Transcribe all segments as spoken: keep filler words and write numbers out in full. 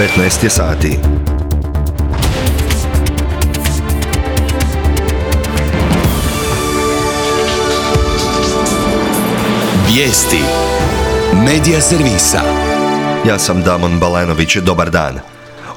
petnaest je sati. Vijesti Medija servisa. Ja sam Damon Balenović, dobar dan.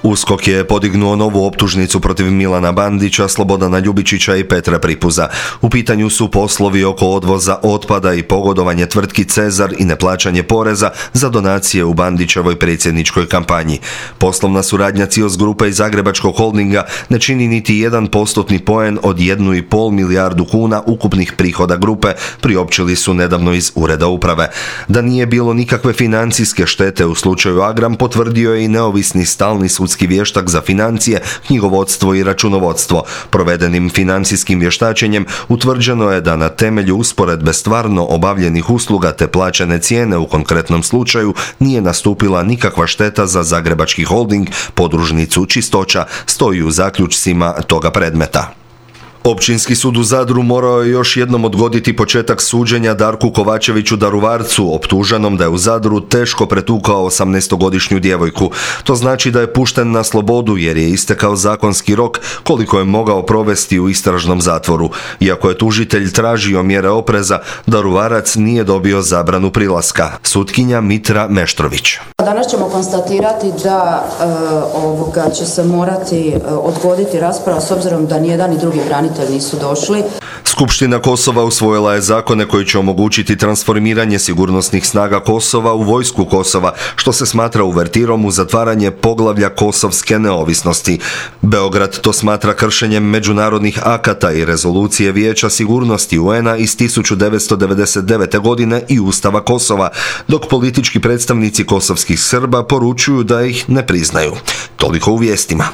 USKOK je podignuo novu optužnicu protiv Milana Bandića, Slobodana Ljubičića i Petra Pripuza. U pitanju su poslovi oko odvoza otpada i pogodovanje tvrtki Cezar i neplaćanje poreza za donacije u Bandićevoj predsjedničkoj kampanji. Poslovna suradnja Cios grupe i Zagrebačkog holdinga ne čini niti jedan postotni poen od jednu i pol milijardu kuna ukupnih prihoda grupe, priopćili su nedavno iz Ureda uprave. Da nije bilo nikakve financijske štete u slučaju Agram, potvrdio je i neovisni stalni sudski vještak za financije, knjigovodstvo i računovodstvo. Provedenim financijskim vještačenjem utvrđeno je da na temelju usporedbe stvarno obavljenih usluga te plaćene cijene u konkretnom slučaju nije nastupila nikakva šteta za Zagrebački holding, podružnicu Čistoća, stoji u zaključcima toga predmeta. Općinski sud u Zadru morao je još jednom odgoditi početak suđenja Darku Kovačeviću Daruvarcu, optuženom da je u Zadru teško pretukao osamnaestogodišnju djevojku. To znači da je pušten na slobodu jer je istekao zakonski rok koliko je mogao provesti u istražnom zatvoru. Iako je tužitelj tražio mjere opreza, Daruvarac nije dobio zabranu prilaska. Sutkinja Mitra Meštrović. Danas ćemo konstatirati da e, ovoga će se morati e, odgoditi rasprava s obzirom da nijedan i drugi branitelj nisu došli. Skupština Kosova usvojila je zakone koji će omogućiti transformiranje sigurnosnih snaga Kosova u vojsku Kosova, što se smatra uvertirom u zatvaranje poglavlja kosovske neovisnosti. Beograd to smatra kršenjem međunarodnih akata i rezolucije Vijeća sigurnosti U N-a iz tisuću devetsto devedeset devete. godine i Ustava Kosova, dok politički predstavnici kosovskih Srba poručuju da ih ne priznaju. Toliko u vijestima.